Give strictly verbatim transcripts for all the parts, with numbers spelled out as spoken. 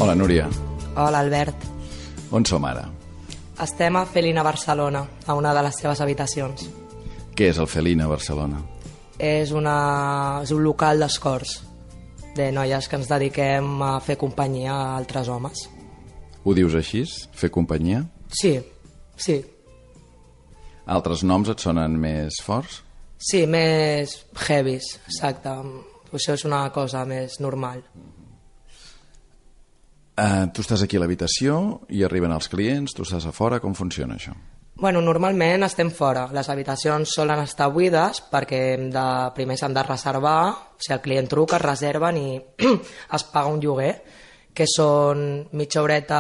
Hola, Núria. Hola, Albert. On som ara? Estem a Felina Barcelona, a una de les seves habitacions. Què és el Felina Barcelona? És, una... és un local d'escorts, de noies que ens dediquem a fer companyia a altres homes. Ho dius així? Fer companyia? Sí, sí. Altres noms et sonen més forts? Sí, més heavies, exacte. Això és una cosa més normal. Uh, tu estàs aquí a l'habitació i arriben els clients, tu estàs a fora, com funciona això? Bueno, normalment estem fora. Les habitacions solen estar buides perquè hem de, primer s'han de reservar, o sigui, el client truca, es reserven i es paga un lloguer, que són mitja horeta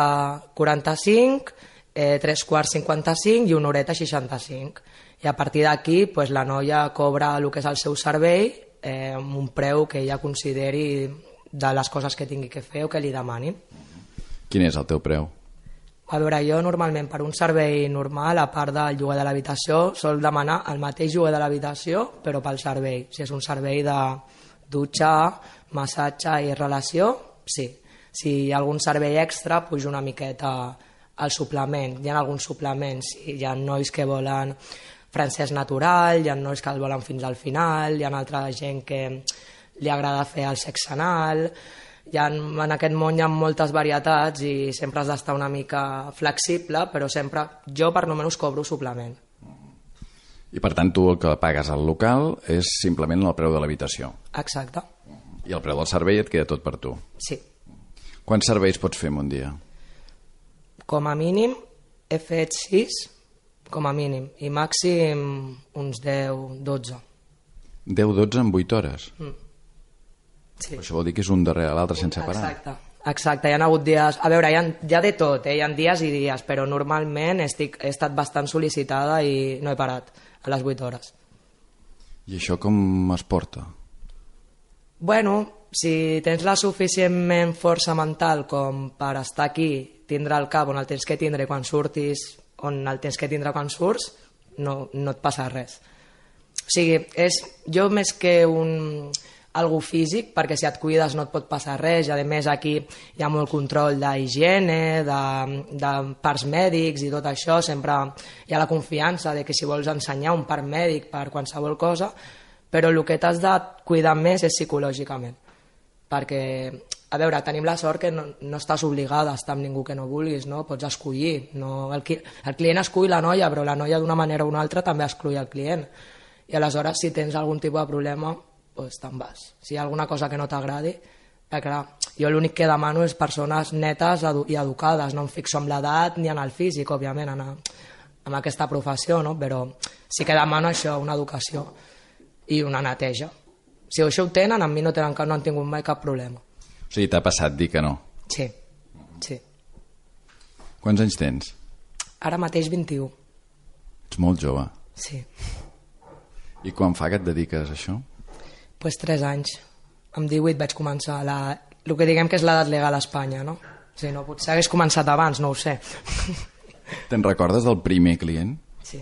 quaranta-cinc, eh, tres quarts cinquanta-cinc i una horeta seixanta-cinc. I a partir d'aquí pues, la noia cobra el que és el seu servei eh, amb un preu que ella consideri de les coses que tingui que fer o que li demanin. Quin és el teu preu? A veure, jo normalment per un servei normal, a part del lloguer de l'habitació, sol demanar el mateix lloguer de l'habitació, però pel servei. Si és un servei de dutxa, massatge i relació, sí. Si hi ha algun servei extra, pujo una miqueta al suplement. Hi ha alguns suplements, hi ha nois que volen francès natural, hi ha nois que el volen fins al final, hi ha altra gent que li agrada fer el sexe anal. Hi ha, en aquest món hi ha moltes varietats i sempre has d'estar una mica flexible, però sempre jo per almenys cobro suplement. I per tant tu el que pagues al local és simplement el preu de l'habitació? Exacte. I el preu del servei et queda tot per tu? Sí. Quants serveis pots fer en un dia? Com a mínim he fet sis, com a mínim, i màxim uns deu, dotze. deu, dotze en vuit hores? Mm. Sí. Això vol dir que és un darrere l'altre sense parar? Exacte, exacte, hi ha hagut dies... A veure, hi ha, hi ha de tot, eh? Hi ha dies i dies, però normalment estic, he estat bastant sol·licitada i no he parat a les vuit hores. I això com es porta? Bueno, si tens la suficientment força mental com per estar aquí, tindre el cap on el tens que tindre quan surtis, on el tens que tindre quan surts, no, no et passa res. O sigui, és jo més que un... algo físic, perquè si et cuides no et pot passar res, i a més aquí hi ha molt control d'higiene, de, de parts mèdics i tot això, sempre hi ha la confiança de que si vols ensenyar un part mèdic per qualsevol cosa, però el que t'has de cuidar més és psicològicament, perquè, a veure, tenim la sort que no, no estàs obligada a estar amb ningú que no vulguis, no? Pots escollir, no? El, el client escull la noia, però la noia d'una manera o una altra també escull el client, i aleshores si tens algun tipus de problema pues te'n vas. Si hi ha alguna cosa que no t'agradi, eh, clar, jo l'únic que demano és persones netes i educades, no em fixo en l'edat ni en el físic, òbviament, en, en aquesta professió, no? Però sí que demano això, una educació i una neteja. Si això ho tenen, amb mi no, tenen, no han tingut mai cap problema. O sigui, t'ha passat dir que no? Sí, sí. Quants anys tens? Ara mateix vint-i-u. Ets molt jove. Sí. I quan fa que et dediques a això? Pues tres anys. Amb divuit vaig començar la... el que diguem que és l'edat legal a Espanya, no? Sí, no, potser hagués començat abans, no ho sé. Te'n recordes del primer client? Sí,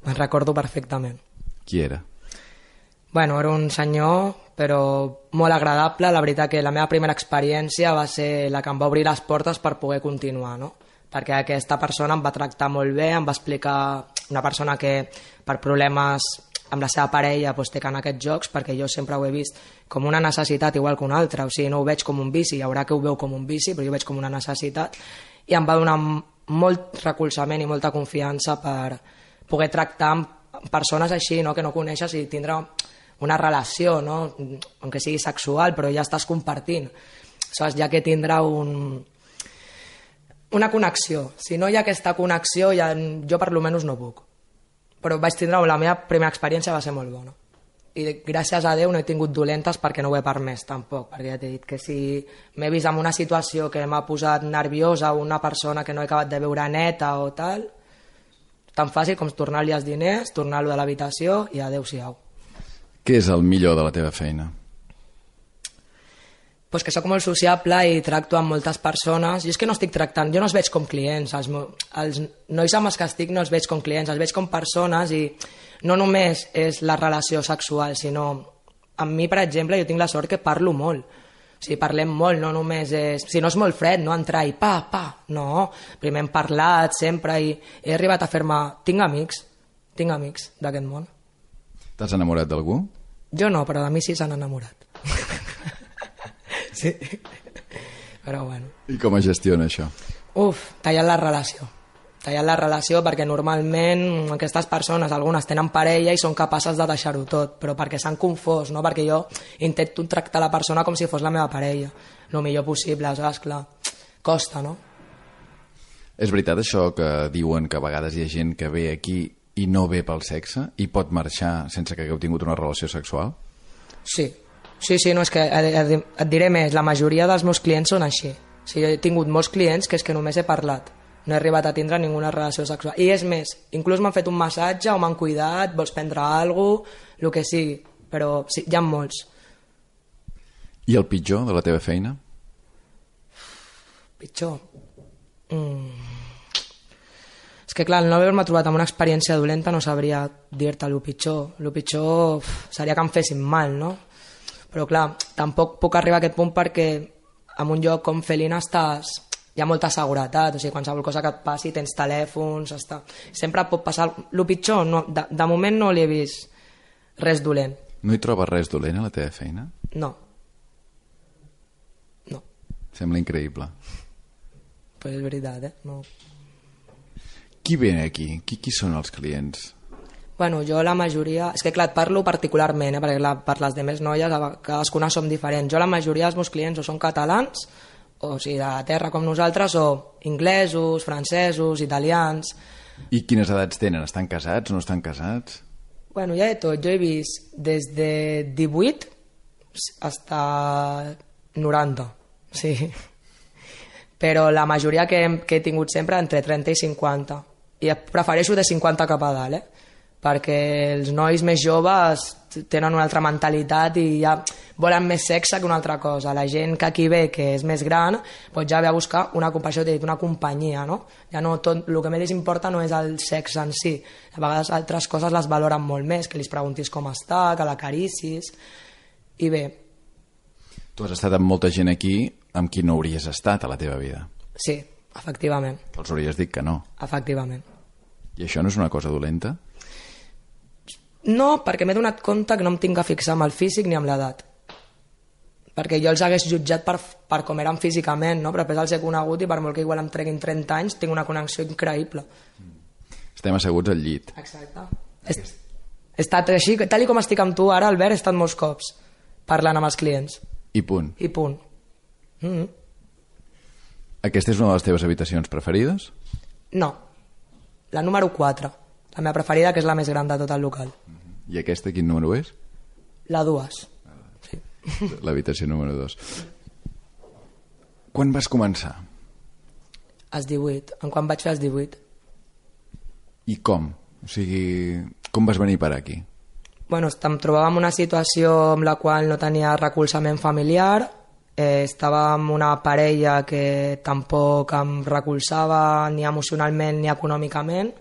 me'n recordo perfectament. Qui era? Bueno, era un senyor, però molt agradable. La veritat que la meva primera experiència va ser la que em va obrir les portes per poder continuar, no? Perquè aquesta persona em va tractar molt bé, em va explicar una persona que per problemes amb la seva parella doncs, té que anar a aquests jocs, perquè jo sempre ho he vist com una necessitat igual que una altra, o sigui, no ho veig com un vici, hi haurà que ho veu com un vici, però jo ho veig com una necessitat, i em va donar molt recolzament i molta confiança per poder tractar amb persones així, no? Que no coneixes, i tindre una relació, no? Aunque sigui sexual, però ja estàs compartint, saps? Ja que tindrà un... una connexió. Si no hi ha aquesta connexió, ja... jo per almenys no puc. Però vaig tindre, la meva primera experiència va ser molt bona. I gràcies a Déu no he tingut dolentes perquè no ho he permès tampoc, perquè ja t'he dit que si m'he vist en una situació que m'ha posat nerviosa o una persona que no he acabat de veure neta o tal, tan fàcil com tornar-li els diners, tornar-lo de l'habitació i adéu-siau. Què és el millor de la teva feina? Pues que sóc molt sociable i tracto amb moltes persones. Jo és que no estic tractant, jo no els veig com clients, els, els nois amb els que estic no els veig com clients, els veig com persones, i no només és la relació sexual, sinó amb mi, per exemple, jo tinc la sort que parlo molt. O sigui, parlem molt, no només és... Si no és molt fred, no? Entrar i pa, pa, no. Primer hem parlat sempre i he arribat a fer-me... Tinc amics, tinc amics d'aquest món. T'has enamorat d'algú? Jo no, però de mi sí s'han enamorat. Sí. Però bueno. I com es gestiona això? Uf, tallant la relació. Tallant la relació perquè normalment aquestes persones, algunes tenen parella i són capaces de deixar-ho tot, però perquè s'han confós, no? Perquè jo intento tractar la persona com si fos la meva parella, el millor possible, saps? Clar, costa, no? És veritat això que diuen que a vegades hi ha gent que ve aquí i no ve pel sexe i pot marxar sense que hagueu tingut una relació sexual? Sí, sí, sí, no, és que et diré més, la majoria dels meus clients són així. O sigui, he tingut molts clients que és que només he parlat, no he arribat a tindre ninguna relació sexual. I és més, inclús m'han fet un massatge o m'han cuidat, vols prendre alguna cosa, el que sigui, però sí, hi ha molts. I el pitjor de la teva feina? Pitjor? Mm. És que clar, el no haver-me trobat amb una experiència dolenta no sabria dir-te el pitjor. El pitjor uf, seria que em fessin mal, no? Però clar, tampoc puc arribar a aquest punt perquè en un lloc com Felina estàs... Hi ha molta seguretat, o sigui, qualsevol cosa que et passi, tens telèfons, està... sempre pot passar... El pitjor, no, de, de moment no li he vist res dolent. No hi trobes res dolent a la teva feina? No. No. Sembla increïble. Pues és veritat, eh? No. Qui ve aquí? Qui, qui són els clients? Bueno, jo la majoria... És que clar, et parlo particularment, eh? Perquè clar, per les demés noies, cadascuna som diferents. Jo la majoria dels meus clients o són catalans, o sigui, de terra com nosaltres, o inglesos, francesos, italians... I quines edats tenen? Estan casats, no estan casats? Bueno, ja de tot. Jo he vist des de divuit fins a noranta, sí. Però la majoria que, que he tingut sempre entre trenta i cinquanta. I prefereixo de cinquanta cap a dalt, eh? Perquè els nois més joves tenen una altra mentalitat i ja volen més sexe que una altra cosa. La gent que aquí ve, que és més gran, doncs ja ve a buscar una companyia, dit, una companyia, no? Ja no tot, el que més importa no és el sexe en si. A vegades altres coses les valoren molt més, que li preguntis com està, que l'acaricis... I bé... Tu has estat amb molta gent aquí amb qui no hauries estat a la teva vida. Sí, efectivament. Els hauries dit que no. Efectivament. I això no és una cosa dolenta? No, perquè m'he donat compte que no em tinc que fixar amb el físic ni amb l'edat. Perquè jo els hagués jutjat per, per com eren físicament, no? Però després els he conegut i per molt que igual em treguin trenta anys tinc una connexió increïble. Estem asseguts al llit. Exacte. He, he estat així, tal i com estic amb tu ara, Albert, he estat molts cops parlant amb els clients. I punt. I punt. Mm-hmm. Aquesta és una de les teves habitacions preferides? No. La número quatre. La meva preferida, que és la més gran de tot el local. I aquesta quin número és? La dues. Sí. L'habitació número dos. Quan vas començar? Als divuit. En quan vaig fer als divuit. I com? O sigui, com vas venir per aquí? Bueno, em trobava en una situació amb la qual no tenia recolzament familiar, eh, estava amb una parella que tampoc em recolzava ni emocionalment ni econòmicament,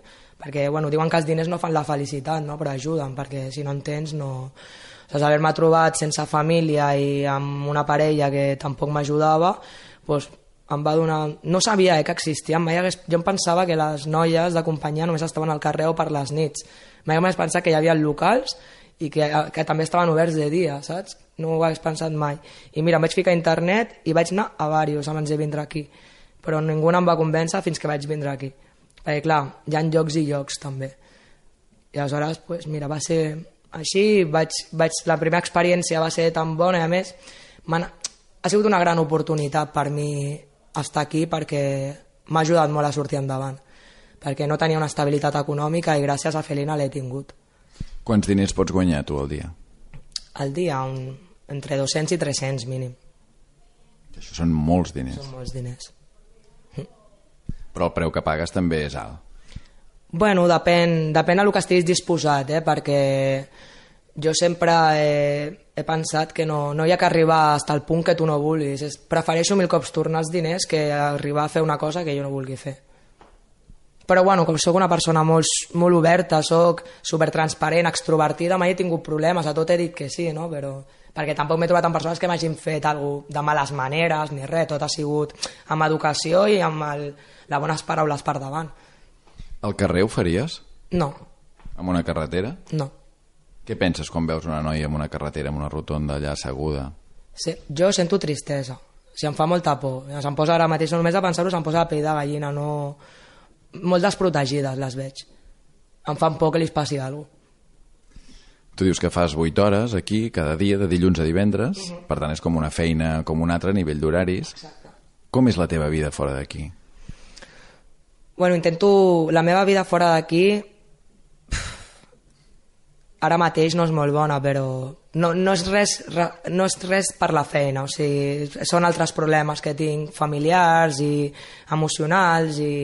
perquè bueno, diuen que els diners no fan la felicitat, no? Però ajuden, perquè si no en tens no... Doncs haver-me trobat sense família i amb una parella que tampoc m'ajudava, doncs em va donar... No sabia eh, que existien, mai hagués... jo em pensava que les noies de companyia només estaven al carrer o per les nits. Mai m'hagués pensat que hi havia locals i que, que també estaven oberts de dia, saps? No ho hagués pensat mai. I mira, em vaig ficar a internet i vaig anar a diversos abans de vindre aquí, però ningú em va convèncer fins que vaig vindre aquí. Perquè clar, hi ha llocs i llocs també. I aleshores, pues, mira, va ser així, vaig, vaig, la primera experiència va ser tan bona i a més ha sigut una gran oportunitat per mi estar aquí perquè m'ha ajudat molt a sortir endavant, perquè no tenia una estabilitat econòmica i gràcies a Felina l'he tingut. Quants diners pots guanyar tu al dia? Al dia, un, entre dos-cents i tres-cents mínim. Això són molts diners. Són molts diners. Però el preu que pagues també és alt. Bueno, depèn, depèn a el que estiguis disposat, eh? Perquè jo sempre he, he pensat que no, no hi ha que arribar fins al punt que tu no vulguis. Es, prefereixo mil cops tornar els diners que arribar a fer una cosa que jo no vulgui fer. Però bueno, com soc una persona molt, molt oberta, soc supertransparent, extrovertida, mai he tingut problemes, a tot he dit que sí, no? Però perquè tampoc m'he trobat amb persones que m'hagin fet alguna cosa de males maneres ni res, tot ha sigut amb educació i amb el, les bones paraules per davant. Al carrer ho faries? No. Amb una carretera? No. Què penses quan veus una noia amb una carretera, amb una rotonda allà asseguda? Sí, jo sento tristesa, o sigui, em fa molta por, se'm posa ara mateix, només de pensar-ho se'm posa la pell de gallina, no... molt desprotegides les veig, em fan por que li passi alguna cosa. Tu dius que fas vuit hores aquí cada dia, de dilluns a divendres, uh-huh. Per tant és com una feina com una altra a nivell d'horaris. Exacte. Com és la teva vida fora d'aquí? Bueno, intento... La meva vida fora d'aquí ara mateix no és molt bona, però no, no, és res, no és res per la feina, o sigui, són altres problemes que tinc familiars i emocionals i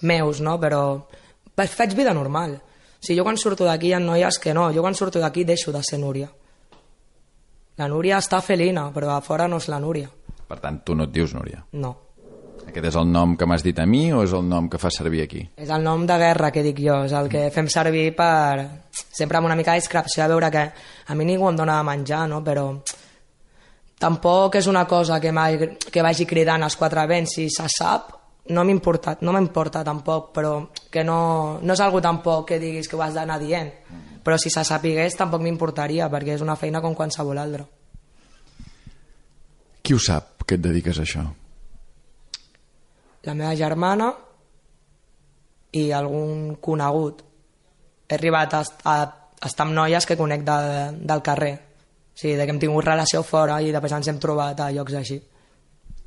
meus, no? Però faig vida normal. O sigui, jo quan surto d'aquí hi ha noies que no, jo quan surto d'aquí deixo de ser Núria. La Núria està felina, però a fora no és la Núria. Per tant, tu no et dius Núria? No. Aquest és el nom que m'has dit a mi o és el nom que fas servir aquí? És el nom de guerra que dic jo, és el que fem servir per... sempre amb una mica de discreció, a veure que a mi ningú em dona de menjar, no? Però tampoc és una cosa que, que vagi cridant als quatre vents, si se sap no m'importa, no m'importa tampoc, però que no, no és algo tampoc que diguis que ho has d'anar dient, però si se sapigués tampoc m'importaria, perquè és una feina com qualsevol altra. Qui ho sap, que et dediques a això? La meva germana i algun conegut. He arribat a, a, a estar amb noies que conec de, del carrer, o sigui, de que hem tingut relació fora i després ens hem trobat a llocs així.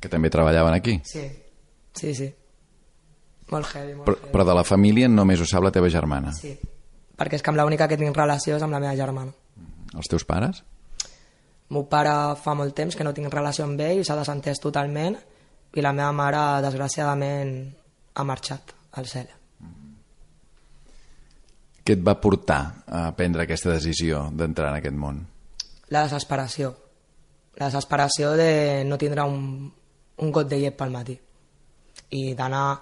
Que també treballaven aquí? Sí. Sí, sí. Molt heavy, molt però, heavy. Però de la família només ho sap la teva germana? Sí, perquè és que amb l'única que tinc relació és amb la meva germana. Els teus pares? El meu pare fa molt temps que no tinc relació amb ell, s'ha desentès totalment, i la meva mare, desgraciadament, ha marxat al cel. Què et va portar a prendre aquesta decisió d'entrar en aquest món? La desesperació. La desesperació de no tindre un, un got de llet pel matí i d'anar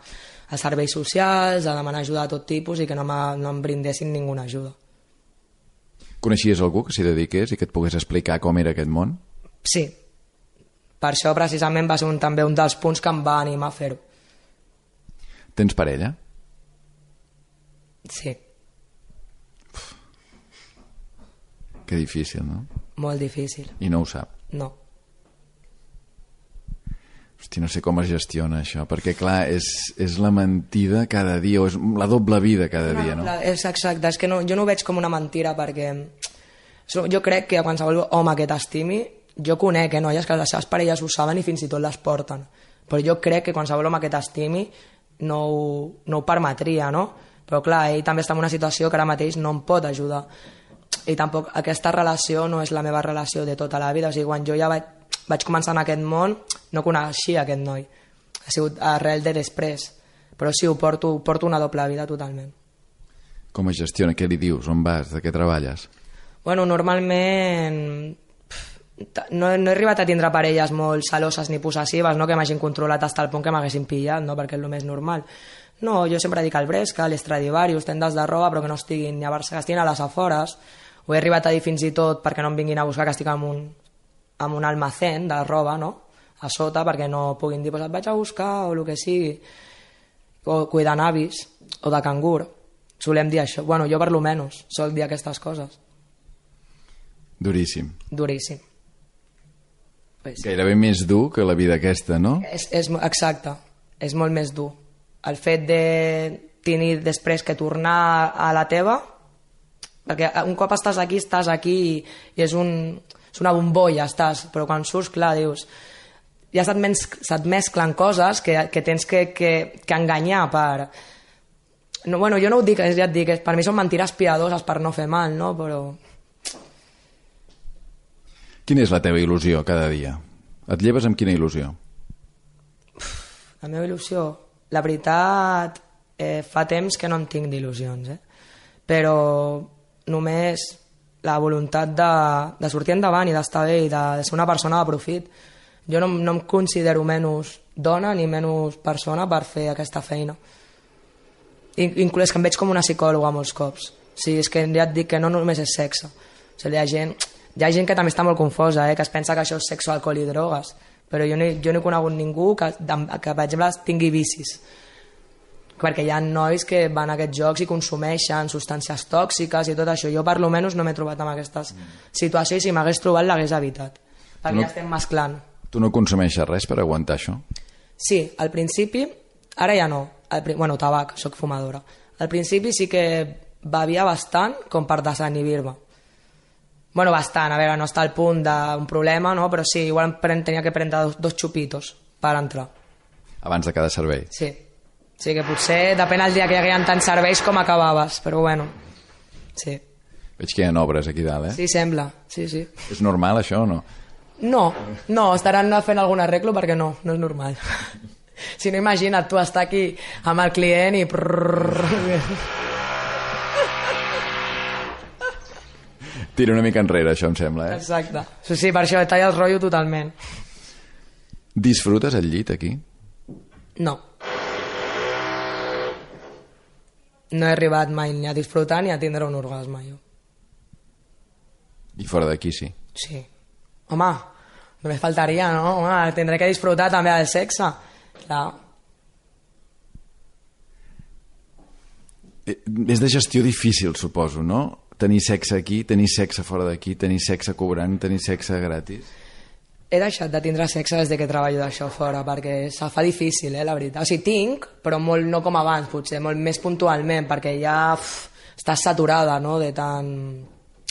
a serveis socials, a demanar ajuda de tot tipus i que no, no em brindessin ninguna ajuda. Coneixies algú que s'hi dediqués i que et pogués explicar com era aquest món? Sí. Per això precisament va ser un, també un dels punts que em va animar a fer-ho. Tens parella? Sí. Uf. Que difícil, no? Molt difícil. I no ho sap? No. Hosti, no sé com es gestiona això, perquè clar, és, és la mentida cada dia, o és la doble vida cada no, dia, no? La, és exacte, és que no, jo no ho veig com una mentira, perquè jo crec que a qualsevol home que t'estimi, jo conec eh, noies que les seves parelles ho saben i fins i tot les porten, però jo crec que qualsevol home que t'estimi no, ho, no ho permetria, no? Però clar, ell també està en una situació que ara mateix no em pot ajudar, i tampoc aquesta relació no és la meva relació de tota la vida, o sigui, quan jo ja vaig vaig començar en aquest món, no coneixia aquest noi. Ha sigut arrel de després. Però sí, ho porto, porto una doble vida totalment. Com es gestiona? Què li dius? On vas? De què treballes? Bueno, normalment no, no he arribat a tindre parelles molt celoses ni possessives, no? Que m'hagin controlat fins al punt que m'haguessin pillat, no? Perquè és el més normal. No, jo sempre dic al Bresca, a l'Estradivarius, tendes de roba, però que no estiguin ni a Barcelona, que estiguin a les afores. Ho he arribat a dir fins i tot perquè no em vinguin a buscar, que estic en un amb un almacén de roba, no? A sota, perquè no puguin dir, pues et vaig a buscar, o el que sigui, o cuidant avis, o de cangur. Solem dir això. Bueno, jo per lo menys sol dir aquestes coses. Duríssim. Duríssim. Pues, Gairebé més dur que la vida aquesta, no? És, és, exacte, és molt més dur. El fet de tenir després que tornar a la teva, perquè un cop estàs aquí, estàs aquí i, i és un... és una bombolla, estàs, però quan surts, clar, dius, ja se't, mens, se't mesclen coses que, que tens que, que, que enganyar per... No, bueno, jo no ho dic, ja et dic, per mi són mentires piadoses per no fer mal, no? Però... Quina és la teva il·lusió cada dia? Et lleves amb quina il·lusió? La meva il·lusió? La veritat, eh, fa temps que no en tinc d'il·lusions, eh? Però només... la voluntat de, de sortir endavant i d'estar bé i de, de ser una persona de profit. Jo no, no em considero menys dona ni menys persona per fer aquesta feina. inclús que em veig com una psicòloga molts cops. Sí, és que ja et dic que no només és sexe. O sigui, hi ha gent, hi ha gent que també està molt confosa, eh? Que es pensa que això és sexe, alcohol i drogues, però jo no, jo no he conegut ningú que, que, per exemple, tingui vicis. Perquè hi ha nois que van a aquests jocs i consumeixen substàncies tòxiques i tot això. Jo, per lo menys, no m'he trobat amb aquestes situacions i si m'hagués trobat l'hagués evitat. Perquè no, ja estem mesclant. Tu no consumeixes res per aguantar això? Sí, al principi, ara ja no. Al, bueno, tabac, soc fumadora. Al principi sí que bevia bastant com per desinhibir-me. Bueno, bastant, a veure, no està al punt d'un problema, no? Però sí, igual tenia que prendre dos, dos xupitos per entrar. Abans de cada servei? Sí. Sí, que potser depèn el dia que hi haguien tants serveis com acabaves, però bueno, sí. Veig que hi ha obres aquí dalt, eh? Sí, sembla, sí, sí. És normal això o no? No, no, estaran fent algun arreglo perquè no, no és normal. Si no, imagina't tu estar aquí amb el client i... Tira una mica enrere, això em sembla, eh? Exacte. Sí, sí, per això talla el rotllo totalment. Disfrutes el llit aquí? No. No he arribat mai ni a disfrutar ni a tindre un orgasme, jo. I fora d'aquí sí? Sí. Home, només faltaria, no? Home, tindré que disfrutar també del sexe. Clar. És de gestió difícil, suposo, no? Tenir sexe aquí, tenir sexe fora d'aquí, tenir sexe cobrant, tenir sexe gratis. He deixat de tindre sexe des de que treballo d'això fora, perquè se fa difícil, eh, la veritat. O sigui, tinc, però molt no com abans, potser, molt més puntualment, perquè ja uf, estàs saturada, no?, de tant...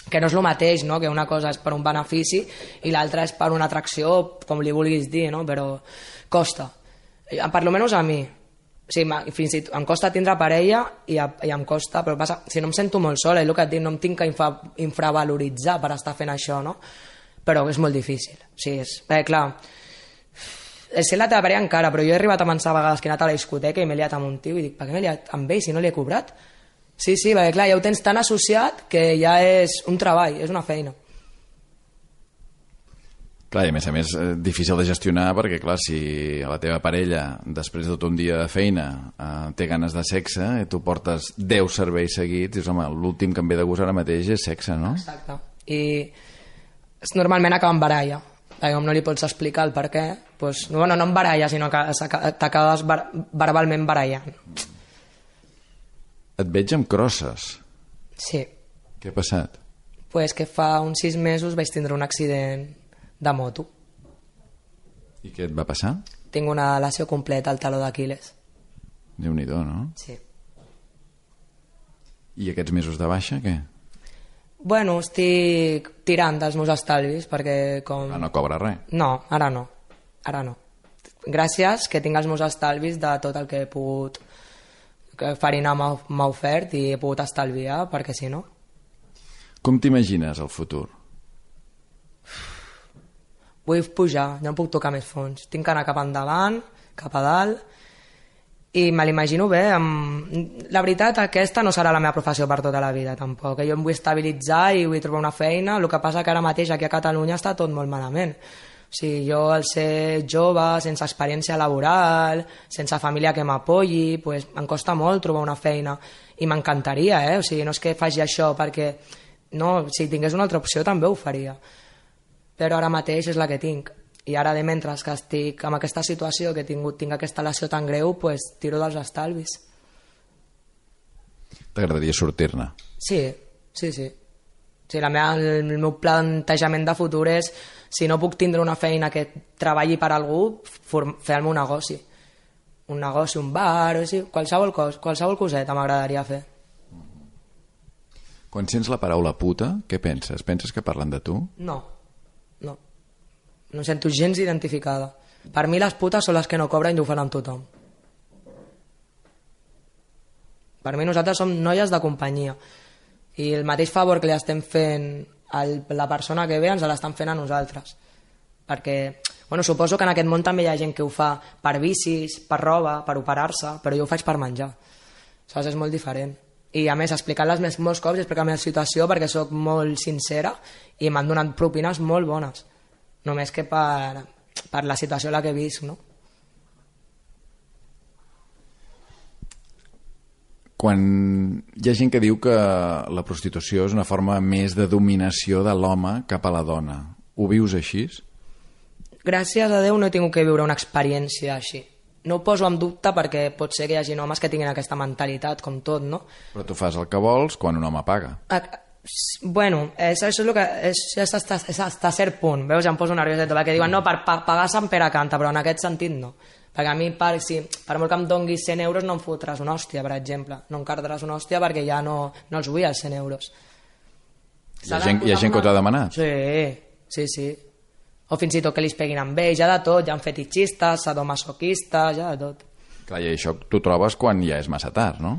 Que no és el mateix, no?, que una cosa és per un benefici i l'altra és per una atracció, com li vulguis dir, no?, però costa. Per lo menys a mi. O sigui, fins i tot em costa tindre parella i, a, i em costa, però passa, si no em sento molt sola, i el que et dic, no em tinc que infra, infravaloritzar per estar fent això, no?, però és molt difícil. O sigui, és... Perquè, clar, és ser la teva parella encara, però jo he arribat a pensar a vegades que he anat a la discoteca i m'he liat amb un tio i dic, per què m'he liat amb ell si no li he cobrat? Sí, sí, perquè clar, ja ho tens tan associat que ja és un treball, és una feina. Clar, i a més a més difícil de gestionar perquè, clar, si la teva parella després de tot un dia de feina eh, té ganes de sexe i tu portes deu serveis seguits, dius, home, l'últim que em ve de gust ara mateix és sexe, no? Exacte. I normalment acaba en baralla, perquè com no li pots explicar el per què, doncs, bueno, no en baralla, sinó que t'acabes verbalment barallant. Et veig amb crosses. Sí. Què ha passat? Pues que fa uns sis mesos vaig tindre un accident de moto. I què et va passar? Tinc una lesió completa al taló d'Aquil·les. Déu-n'hi-do, no? Sí. I aquests mesos de baixa, què? Bueno, estic tirant dels meus estalvis perquè com... Ah, no cobra res? No, ara no, ara no. Gràcies que tinc els meus estalvis de tot el que he pogut, que Farina m'ha ofert i he pogut estalviar, perquè si no... Com t'imagines el futur? Vull pujar, no puc tocar més fons. Tinc que anar cap endavant, cap a dalt, i me l'imagino bé. Amb... La veritat, aquesta no serà la meva professió per tota la vida, tampoc. Jo em vull estabilitzar i vull trobar una feina. El que passa que ara mateix aquí a Catalunya està tot molt malament. O sigui, jo al ser jove, sense experiència laboral, sense família que m'apoyi, pues, em costa molt trobar una feina. I m'encantaria, eh? O sigui, no és que faci això perquè... No, si tingués una altra opció també ho faria. Però ara mateix és la que tinc. I ara, de mentre que estic en aquesta situació, que he tingut, tinc aquesta lesió tan greu, pues, tiro dels estalvis. T'agradaria sortir-ne? Sí, sí, sí. sí la meva, el, el meu plantejament de futur és, si no puc tindre una feina que treballi per algú, fer-me un negoci. Un negoci, un bar, o sigui, qualsevol, cos, qualsevol coseta m'agradaria fer. Quan sents la paraula puta, què penses? Penses que parlen de tu? No, no. No em sento gens identificada. Per mi les putes són les que no cobren i ho fan amb tothom. Per mi nosaltres som noies de companyia. I el mateix favor que li estem fent a la persona que ve ens l'estan fent a nosaltres. Perquè, bueno, suposo que en aquest món també hi ha gent que ho fa per vicis, per roba, per operar-se, però jo ho faig per menjar. Saps? És molt diferent. I a més, explicant-les molts cops, explicar la meva situació perquè sóc molt sincera i m'han donat propines molt bones. Només que per, per la situació en la que visc, no? Quan hi ha gent que diu que la prostitució és una forma més de dominació de l'home cap a la dona, ho vius així? Gràcies a Déu no he tingut que viure una experiència així. No ho poso en dubte perquè pot ser que hi hagi homes que tinguin aquesta mentalitat, com tot, no? Però tu fas el que vols quan un home paga. A, bueno, és, això és el que... És, és, és, és hasta cert punt, veus? Ja em poso nerviosa, perquè diuen, no, per pa, pagar Sant Pere canta, però en aquest sentit no. Perquè a mi, per, si, per molt que em donguis cent euros, no em fotràs una hòstia, per exemple. No em cardràs una hòstia perquè ja no, no els vull els cent euros. Hi ha gent, hi ha gent que t'ho ha demanat? Sí, sí, sí. O fins i tot que li peguin amb ells, ja de tot, ja han fetichistes, sadomasoquistes, ja de tot. Clar, i això t'ho trobes quan ja és massa tard, no?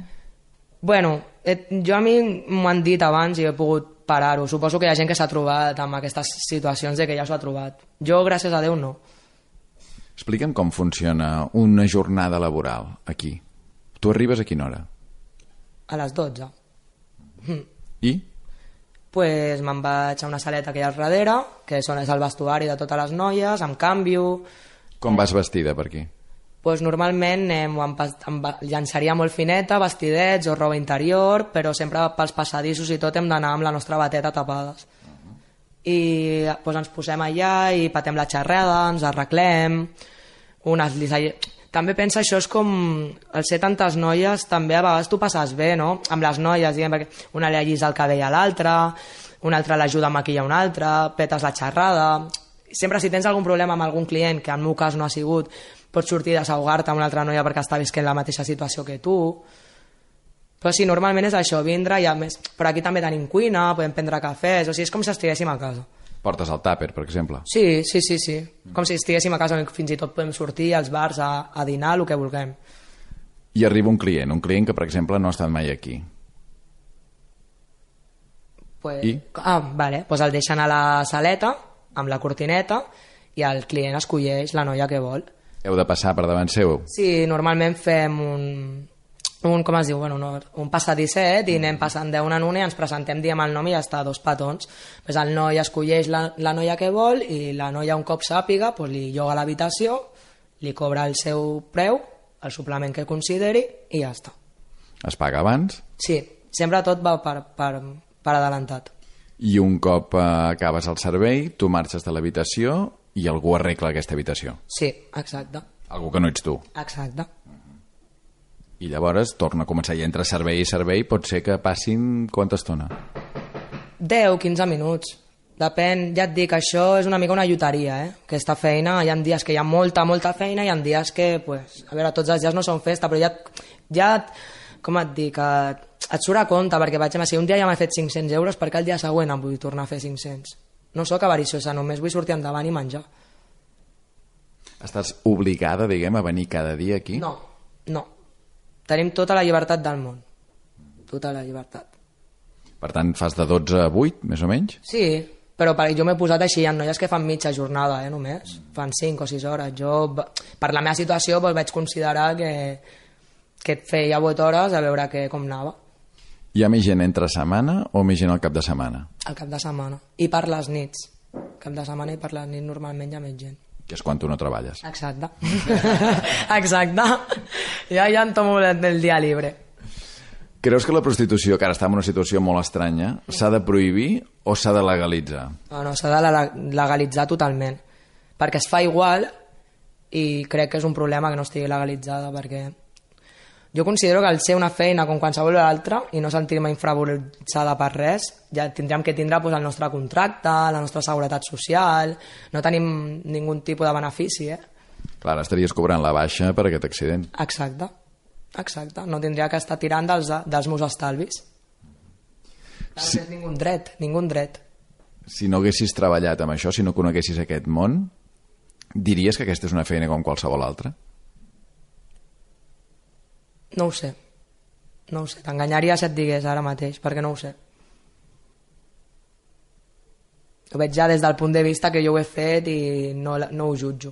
Bueno, et, jo a mi m'ho han dit abans i he pogut parar-ho. Suposo que hi ha gent que s'ha trobat amb aquestes situacions de que ja s'ho ha trobat. Jo, gràcies a Déu, no. Explica'm com funciona una jornada laboral aquí. Tu arribes a quina hora? A les dotze. I? Pues me'n vaig a una saleta que hi ha al darrere, que són, és el vestuari de totes les noies, em canvio... Com vas vestida per aquí? Pues normalment eh, em, em llançaria molt fineta, vestidets o roba interior, però sempre pels passadissos i tot hem d'anar amb la nostra bateta tapades. Uh-huh. I pues, ens posem allà i patem la xerrada, ens arreglem, unes li... També pensa, això és com, al ser tantes noies, també a vegades tu passes bé, no? Amb les noies, diguem, perquè una li allisa el cabell a l'altra, una altra l'ajuda a maquillar una altra, petes la xerrada... Sempre si tens algun problema amb algun client, que en el meu cas no ha sigut, pots sortir a desahogar-te amb una altra noia perquè està visquent la mateixa situació que tu. Però sí, normalment és això, vindre i a més... Però aquí també tenim cuina, podem prendre cafès, o sigui, és com si estiguéssim a casa. Portes el tàper, per exemple? Sí, sí, sí, sí. Com si estiguéssim a casa, fins i tot podem sortir als bars a, a dinar, el que vulguem. I arriba un client, un client que, per exemple, no ha estat mai aquí. Pues, I? Ah, vale. Pues el deixen a la saleta, amb la cortineta, i el client escolleix la noia que vol. Heu de passar per davant seu? Sí, normalment fem un... un, com es diu, bueno, no, un passadisset i anem passant d'una en una i ens presentem, diem el nom i ja està, dos petons. Pues el noi escolleix la, la noia que vol i la noia un cop sàpiga pues li lloga l'habitació, li cobra el seu preu, el suplement que consideri i ja està. Es paga abans? Sí, sempre tot va per, per, per adelantat. I un cop eh, acabes el servei, tu marxes de l'habitació i algú arregla aquesta habitació? Sí, exacte. Algú que no ets tu? Exacte. I llavors torna a començar, i entre servei i servei pot ser que passin quanta estona? deu a quinze minuts. Depèn, ja et dic, això és una mica una lloteria, eh? Aquesta feina, hi ha dies que hi ha molta, molta feina, i hi ha dies que, pues, a veure, tots els dies no són festa, però ja, ja com et dic, et, et surt a compte, perquè vaig, si un dia ja m'he fet cinc-cents euros, perquè el dia següent em vull tornar a fer cinc-cents. No sóc avariciosa, només vull sortir endavant i menjar. Estàs obligada, diguem, a venir cada dia aquí? No, no. Tenim tota la llibertat del món. Tota la llibertat. Per tant, fas de dotze a vuit, més o menys? Sí, però per, jo m'he posat així, hi ha noies que fan mitja jornada, eh, només. Fan cinc o sis hores. Jo, per la meva situació, doncs, vaig considerar que, que et feia vuit hores a veure que, com anava. Hi ha més gent entre setmana o més gent al cap de setmana? Al cap de setmana. I per les nits. Cap de setmana i per les nits normalment hi ha més gent. Que és quan tu no treballes. Exacte. Exacte. Ja, ja em tomo el dia libre. Creus que la prostitució, que ara està en una situació molt estranya, s'ha de prohibir o s'ha de legalitzar? No, no, s'ha de legalitzar totalment. Perquè es fa igual i crec que és un problema que no estigui legalitzada, perquè jo considero que al ser una feina com qualsevol altra i no sentir-me infravaloritzada per res, ja tindríem que tindre pues, el nostre contracte, la nostra seguretat social, no tenim ningú tipus de benefici, eh? Clar, estaries cobrant la baixa per aquest accident. Exacte, exacte. No tindria que estar tirant dels, dels meus estalvis. No sí. tens ningú dret, ningú dret. Si no haguessis treballat amb això, si no coneguessis aquest món, diries que aquesta és una feina com qualsevol altra? No ho sé, no ho sé, t'enganyaria si et digués ara mateix, perquè no ho sé. Ho veig ja des del punt de vista que jo ho he fet i no, no ho jutjo.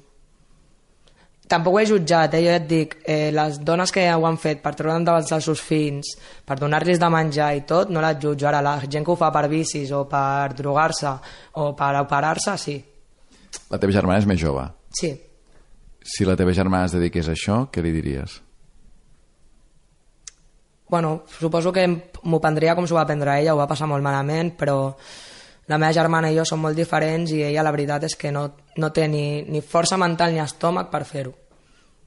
Tampoc ho he jutjat, eh? Jo et dic, eh, les dones que ho han fet per treure endavant els seus fills, per donar-los de menjar i tot, no les jutjo. Ara, la gent que ho fa per vicis o per drogar-se o per operar-se, sí. La teva germana és més jove. Sí. Si la teva germana es dediqués a això, què li diries? bueno, suposo que m'ho prendria com s'ho va prendre ella, ho va passar molt malament, però la meva germana i jo som molt diferents i ella la veritat és que no, no té ni, ni força mental ni estómac per fer-ho.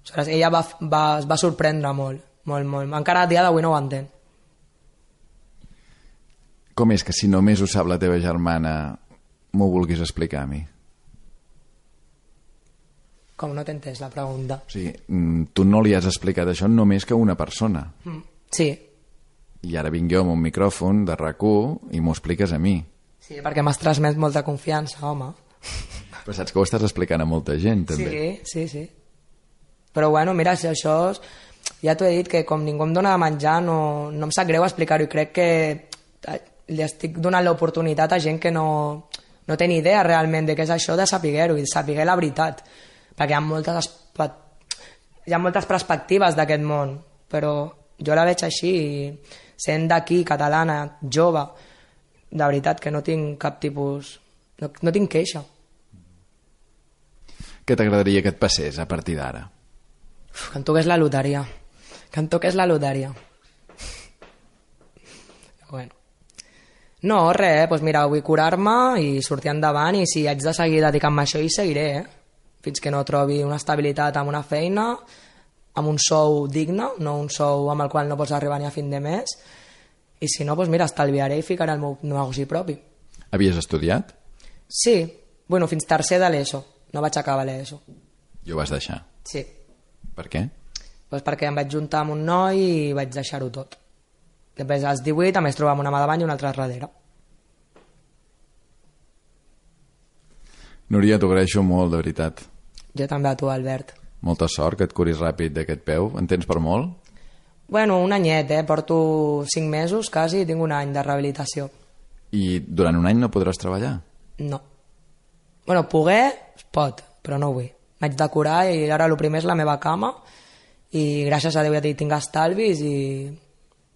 Aleshores, ella va, va, es va sorprendre molt, molt, molt. Encara a dia d'avui no ho entén. Com és que si només ho sap la teva germana m'ho vulguis explicar a mi? Com no t'he entès la pregunta? O sigui, tu no li has explicat això només que a una persona. Mm. Sí. I ara vinc jo amb un micròfon de RAC u i m'ho expliques a mi. Sí, perquè m'has transmès molta confiança, home. Però saps que ho estàs explicant a molta gent, també. Sí, sí, sí. Però bueno, mira, si això... És... Ja t'ho he dit, que com ningú em dona de menjar, no, no em sap greu explicar-ho, i crec que li estic donant l'oportunitat a gent que no, no té ni idea realment de què és això de saber-ho i de saber la veritat. Perquè hi ha moltes, hi ha moltes perspectives d'aquest món, però jo la veig així, i sent d'aquí, catalana, jove, de veritat que no tinc cap tipus... No, no tinc queixa. Què t'agradaria que et passés a partir d'ara? Que em toqués la loteria. Que em toqués la loteria. Bueno. No, res, eh? Pues mira, vull curar-me i sortir endavant, i si haig de seguir dedicant-me a això hi seguiré, eh? Fins que no trobi una estabilitat amb una feina, amb un sou digne, no un sou amb el qual no pots arribar ni a fin de mes, i si no, doncs mira, estalviaré i ficaré el meu negoci propi. Havies estudiat? Sí, bueno, fins tercer de l'ESO, no vaig acabar l'ESO. I ho vas deixar? Sí. Per què? Pues perquè em vaig juntar amb un noi i vaig deixar-ho tot. Després, als divuit, em vaig trobar amb una mà davant i una altra darrere. Núria, t'ho agraeixo molt, de veritat. Jo també a tu, Albert. Molta sort, que et curis ràpid d'aquest peu. En tens per molt? Bueno, un anyet, eh? Porto cinc mesos, quasi, i tinc un any de rehabilitació. I durant un any no podràs treballar? No. Bueno, poder, es pot, però no vull. M'haig de curar i ara el primer és la meva cama, i gràcies a Déu ja tinc estalvis i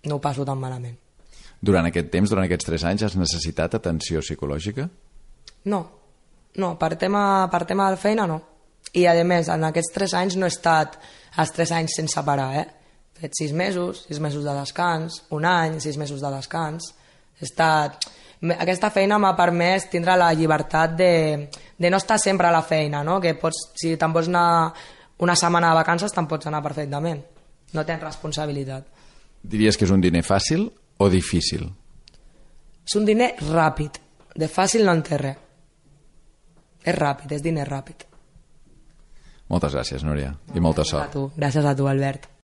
no ho passo tan malament. Durant aquest temps, durant aquests tres anys, has necessitat atenció psicològica? No, no, per tema, per tema de feina no. I a més, en aquests tres anys no he estat els tres anys sense parar, eh? He fet sis mesos, sis mesos de descans, un any, sis mesos de descans. He estat... Aquesta feina m'ha permès tindre la llibertat de, de no estar sempre a la feina, no? Que pots, si te'n vols anar una setmana de vacances, te'n pots anar perfectament. No tens responsabilitat. Diries que és un diner fàcil o difícil? És un diner ràpid. De fàcil no en té res. És ràpid, és diner ràpid. Moltes gràcies, Núria, i molta sort. A tu. Gràcies a tu, Albert.